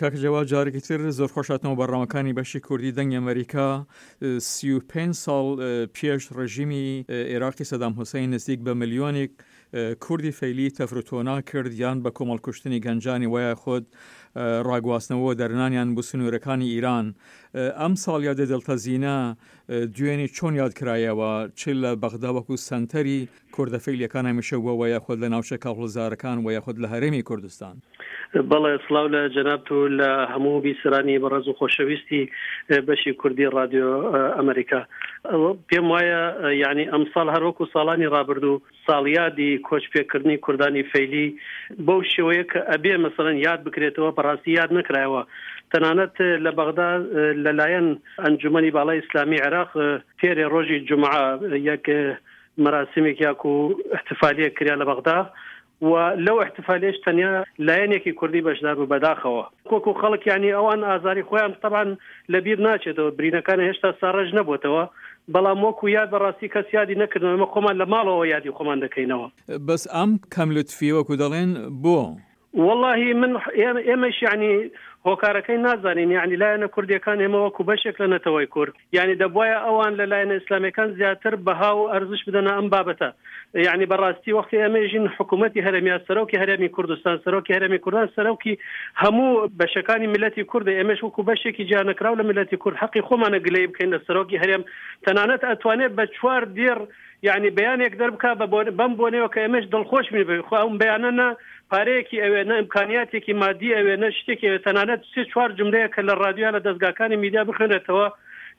کاک جەواد جارێکی تر زۆر خۆش هاتنەوە بەرنامەکانی بەشی کوردی دەنگی ئەمریکا. 35 ساڵ پێش ڕژیمی ئێراقی سەدام حوسەین نزیک بە ملیۆنێک کوردی فەیلی تەفروتۆنا کرد یان بە کۆمەڵکوشتنی گەنجانی وەیا خود ڕاگواستنەوە دەرنانیان بۆ سنوورەکانی ئیران. ئەم ساڵیادە دڵتەزینە دوێنێ چۆن یاد کرایەوە چ لە بەغدا وەکو سەنتەری کوردە فەیلیەکان هەمیشە بووە وە یاخود لە ناوچە کاوڵزارەکان وە یاخود لە هەرێمی کوردستان؟ بەڵێ سڵاو لە جەنابت و لە هەموو بیسەرانی بەڕێز و خۆشەویستی بەشی کوردی ڕادیۆ ئەمریکا. پێم وایە یانی ئەمساڵ هەر وەکو ساڵانی ڕابردوو ساڵیادی کۆچ پێکردنی کوردانی فەیلی بەو شێوەیە کە ئەبێ مەسەلەن یاد بکرێتەوە بەڕاستی یاد نەکرایەوە. تەنانەت لە بەغدا لەلایەن ئەنجومەنی باڵای ئیسلامی عێراق پێرێ ڕۆژی جومعە یەک مەراسیمێک یاکو ئیحتفالیەک کرا لە بەغدا و لەو ئیحتفالیەش تەنیا لایەنێکی کوردی بەشدار بوو بەداخەوە وەکو خەڵک یانی ئەوان ئازاری خۆیان تەبعەن لە بیر ناچێتەوە برینەکان هێشتا ساڕێژ نەبووتەوە بەڵام وەکو یاد بەڕاستی کەس یادی نەکردنەوە ئێمە خۆمان لە ماڵەوە یادی خۆمان دەکەینەوە. بەس ئەم کەم لوتفیە وەکو دەڵێن بۆ؟ وەڵاهی من ئێمەش یانی هۆکارەکەی نازانین یانی لایەنە کوردیەکان ئێمە وەکو بەشێک لە نەتەوەی کورد یانی دەبوایە ئەوان لە لایەنە ئیسلامیەکان زیاتر بەها و ئەرزش بدەنە ئەم بابەتە یانی بەڕاستی وەختی ئێمە ژین حکوومەتی هەرێم یا سەرۆکی هەرێمی کوردستان سەرۆکی هەرێمی کوردستان سەرۆکی هەموو بەشەکانی میللەتی کوردە ئێمەش وەکو بەشێکی جیانەکراو لە میللەتی کورد حەقی خۆمانە گلەیی بکەین لە سەرۆکی هەرێم تەنانەت ئەتوانێت بە چوار دێڕ یەعنی بەیانێک دەربکا بە بەم بۆنەیەوە کە ئێمەش دڵخۆش بین بێ خۆ ئەم بەیانە نە پارەیەکی ئەوێ نە ئیمکانیاتێکی مادی ئەوێ نە شتێکی ئەوێ تەنانەت سێ چوار جوملەیە کە لە ڕادیۆ یا لە دەزگاکانی میدیا بخوێنرێتەوە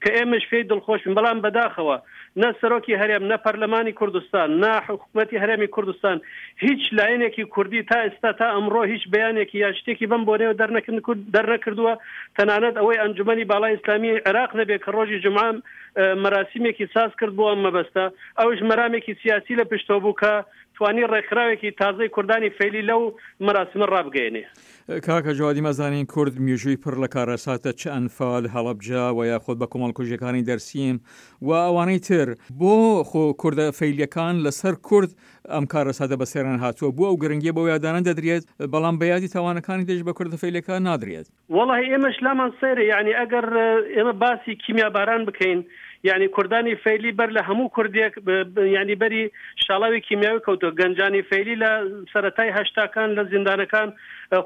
کە ئێمەش پێی دڵخۆش بین بەڵام بەداخەوە نە سەرۆکی هەرێم نە پەرلەمانی کوردستان نە حکومەتی هەرێمی کوردستان هیچ لایەنێکی کوردی تا ئێستا تا ئەمڕۆ هیچ بەیانێکی یا شتێکی بەم بۆنەیەوە دەرنەکردووە تەنانەت ئەوەی ئەنجومەنی باڵای ئیسلامی عێراق نەبێ کە ڕۆژی جومعە مەراسیمێکی ساز کرد بۆ ئەم مەبەستە، ئەویش مەرامێکی سیاسی لە پشتەوە بوو کە توانی ڕێکخراوێکی تازەی کوردانی فەیلی لەو مەراسیمە ڕابگەیەنێ. کاکە جوادی مەزانین کورد میژووی پڕ لە کارەساتە چ ئەنفال، هەڵەبجە وە یاخود بە کۆمەڵکوژیەکانی دەرسیم و ئەوانەی تر، بۆ خۆ کوردە فەیلیەکان لەسەر کورد ئەم کارەساتە بەسەریان هاتووە بۆ ئەو گرنگیە بەو یادانە دەدرێت بەڵام بە یادی تاوانەکانی دژ بە کوردە فەیلیەکان نادرێت؟ وەڵاهی ئێمەش لامان سەیرە یەعنی ئەگەر ئێمە باسی کیمیاباران بکەین یەعنی کوردانی فەیلی بەر لە هەموو کوردێک یەعنی بەری شاڵاوی کیمیاوی کەوتووە گەنجانی فەیلی لە سەرەتای هەشتاکان لە زیندانەکان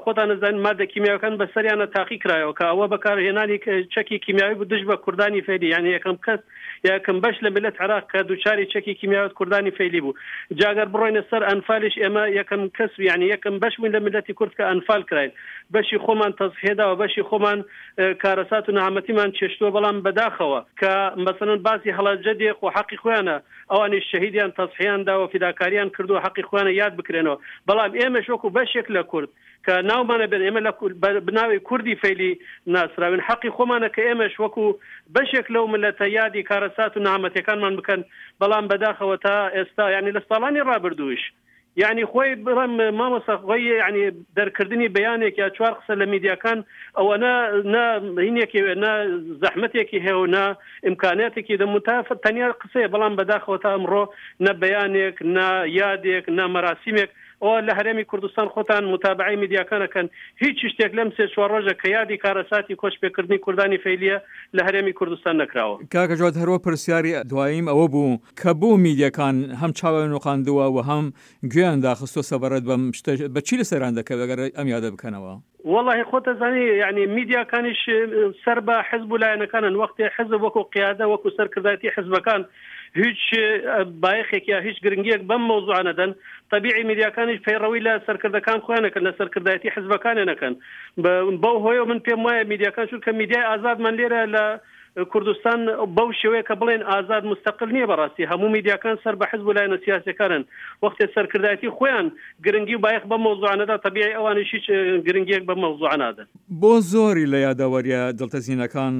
خۆتان ئەزانن مادە کیمیاوەکان بەسەریانە تاقی کرایەوە کە ئەوە بەکارهێنانی چەکی کیمیاوی بوو دژ بە کوردانی فەیلی یەعنی یەکەم کەس یەکەم بەش لە میللەت عێراق کە دووچاری چەکی کیمیاوت کوردانی فەیلی بوو جا گەر بڕۆینە سەر ئەنفالیش ئێمە یەکەم کەس یەعنی یەکەم بەش بووین لە میللەتی کورد کە ئەنفال کراین بەشی خۆمان تەزحیە داوە بەشی خۆمان کارەسات و نەهامەتیمان چێشتووە بەڵام بەداخەوە کە مەسەلەن باسی هەڵەبجە دێ خۆ حەقی خۆیانە ئەوانیش شەهیدیان تەزحیان داوە فیداکاریان کردووە حەقی خۆیانە یاد بکرێنەوە بەڵام ئێمەش وەکو بەشێک لە کورد کە ناومانە بێن ئێمە لە بناوی کوردی فەیلی ناسراوین حەقی خۆمانە کە ئێمەش وەکو بەشێک لەو ملەتە یادی کارەسات و نەهامەتیەکانمان بکەن بەڵام بەداخەوە تا ئێستا یانی لە ساڵانی ڕابردووش یانی خۆی بڵێم مامۆستا خۆی یانی دەرکردنی بەیانێک یا چوار قسە لە میدیاکان ئەوەنە نە هینێکی نە زەحمەتێکی هەیە و نە ئیمکانیاتێکی دە متاف تەنیا قسەیە بەڵام بەداخەوە تا ئەمڕۆ نە بەیانێک نە یادێک نە مەراسیمێک ئەوە لە هەرێمی کوردستان خۆتان موتابەعەی میدیاکان ئەکەن هیچ شتێک لەم سێ چوار ڕۆژە کە یادی کارەساتی کۆچ پێکردنی کوردانی فەیلیە لە هەرێمی کوردستان نەکراوە. کاکە جواد هەروا پرسیاری دواییم ئەوە بوو کە بۆ میدیاکان هەم چاویان نوقاندووە و هەم گوێیان داخستووە سەبارەت بەم شتە بە چی لەسەریان دەکەوێت ئەگەر ئەم یادە بکەنەوە؟ وەڵاهی خۆت ئەزانی یانی میدیاکانیش سەر بە حزب و لایەنەکانن وەختێ حزب وەکو قیادە وەکو سەرکردایەتی حزبەکان هیچ بایەخێک یا هیچ گرنگیەک بەم مەوزوعە نەدەن تەبیعی میدیاکانیش پەیڕەوی لە سەرکردەکان خۆیان نەکەن لە سەرکردایەتی حزبەکانیان نەکەن بەو هۆیەوە من پێم وایە میدیاکان چونکە میدیای ئازادمان لێرە لە کوردستان بەو شێوەیە کە بڵێن ئازاد مستەقل نییە بەڕاستی هەموو میدیاکان سەر بە حزب و لایەنە سیاسیەکانن وەختێ سەرکردایەتی خۆیان گرنگی و بایەخ بەم مەوزوعە نەدا تەبیعی ئەوانیش هیچ گرنگیەک بەم مەوزوعە نادەن. بۆ زۆری لە یادەوەریە دڵتەزینەکان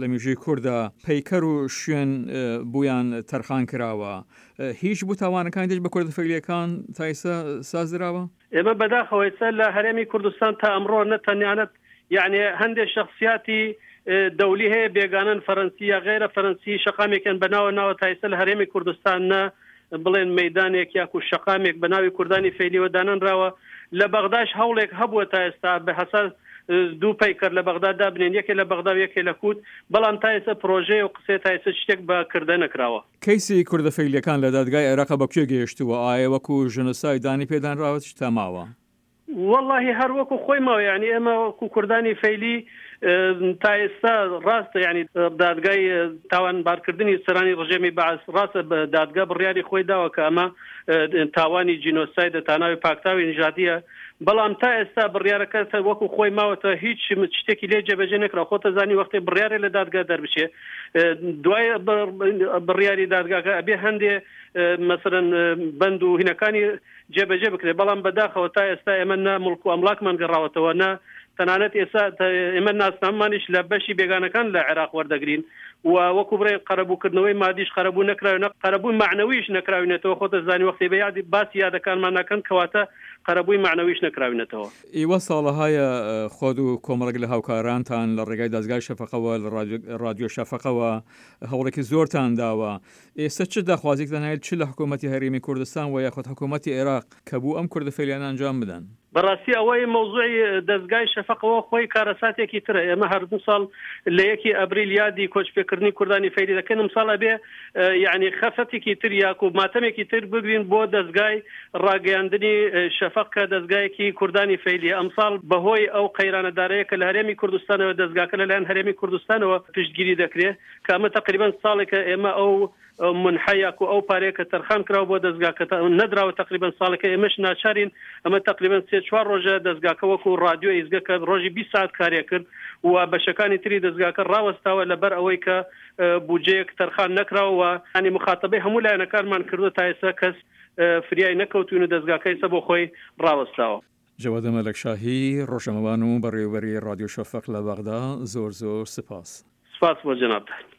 لە میژووی کوردا پەیکەر و شوێن بویان تەرخان کراوە هیچ بو تاوانەکانی دژ بە کوردە فەیلیەکان تا ئیستا سازدراوە؟ ئێمە بەداخەوە ئێستا لە هەرێمی کوردستان تا ئەمڕۆ نە تەنانەت یەعنی هەندێ شەخسیاتی دەولی هەیە بێگانەن فەرەنسی یا غەیرە فەرەنسی شەقامێکیان بە ناوە ناوە تا ئێستا لە هەرێمی کوردستان نە بڵێن مەیدانێک یاکو شەقامێک بە ناوی کوردانی فەیلیەوە دانەنراوە لە بەغداش هەوڵێک هەبووە تا ئێستا بە هەساس. دوو پەیکەر لە بەغدا دابنێن یەکێ لە بەغدا و یەکێ لە کووت بەڵام تا ئێستا پرۆژەیە و قسەیە تا ئێستا شتێک بە کردە نەکراوە. کەیسی کوردە فەیلیەکان لە دادگای عێراق بە کوێ گەیشتووە؟ ئایە وەکو ژنۆساید دانی پێدانراوە تا ماوە؟ وەڵاهی هەر وەکو خۆی ماوە یانی ئێمە وەکو کوردانی فەیلی تا ئێستا ڕاستە یانی دادگای تاوانبارکردنی سەرانی ڕژێمی بەعس ڕاستە دادگا بڕیاری خۆی داوە کە ئەمە تاوانی جینۆسایدە تاناوی پاکتاوی نژادیە بەڵام تا ئێستا بڕیارەکە وەکو خۆی ماوەتە هیچ شتێکی لێ جێبەجێ نەکرا خۆتە زانی وەختێ بڕیارێ لە دادگا دەربچێ دوای بڕیاری دادگاکە ئەبێ هەندێ مەسەرەن بەند و هینەکانی جێبەجێ بکرێت، بەڵام بەداخەوە تا ئێستا ئێمە نە موڵک و ئەملاکمان گەڕاوەتەوە، نە تەنانەت ئێستا ئێمە ناسنامەمانیش لە بەشی بێگانەکان لە عێراق وەردەگرین و وەکو بڵێن قەرەبووکردنەوەی مادیش قەرەبوو نەکراوە، نە قەرەبووی مەعنەویش نەکراوینەتەوە، خۆت دەزانی وەختی بە یادی باسی یادەکانمان ناکەن، کەواتە قەرەبووی مەعنەویش نەکراوینەتەوە. ئیوە ساڵەهایە خۆت و کۆمەڵێک لە هاوکارانتان لە ڕێگای دەزگای شەفەقەوە لە ڕادیۆ شەفەقەوە هەوڵێکی زۆرتان داوە، ئێستا چ داخوازیەکتان هەیە چ لە حکوومەتی هەرێمی کوردستان و یاخود حکوومەتی عێراق کە بوو ئەم کوردە فەیلیانە ئەنجام بدەن؟ بەڕاستی ئەوەی مەوزوعی دەزگای شەفەقەوە خۆی کارەساتێکی ترە ئێمە هەر ساڵ لە یەکی ئەبریل یادی کۆچپێکردنی کوردانی فەیلی دەکەن ئەمساڵ ئەبێ یعنی خەفەتێکی تر یاکو ماتەمێکی تر بگرین بۆ دەزگای ڕاگەیاندنی شەفەق کە دەزگایەکی کوردانی فەیلیە ئەمساڵ بەهۆی ئەو قەیرانە دارایە کە لە هەرێمی کوردستانەوە دەزگاکە لەلایەن هەرێمی کوردستانەوە پشتگیری دەکرێت کە ئەمە تەقریبەن ساڵێکە ئێمە ئەو منحە یاکو ئەو پارەیە کە تەرخان کراوە بۆ دەزگاکە نەدراوە تەقریبەن ساڵێکە ئێمەش ناچارین ئەمە تەقریبەن سێ چوار ڕۆژە دەزگاکە وەکو ڕادیۆ ئیزگە کە ڕۆژی 20 ساعت کارێ کرد و بەشەکانی تری دەزگاکە ڕاوەستاوە لەبەر ئەوەی کە بودجەیەک تەرخان نەکراوە و ینی مخاتەبەی هەموو لایەنەکانمان کردو تا ئێستا کەس فریای نەکەوتوین و دەزگاکە ئێستا بۆ خۆی ڕاوەستاوە. جەواد مەلەکشاهی، ڕۆژنامەوان و بەڕێوەبەری ڕادیۆ شەفەق لە بەغدا، زۆر زۆر سپاس. سپاس بۆ جەنابتان.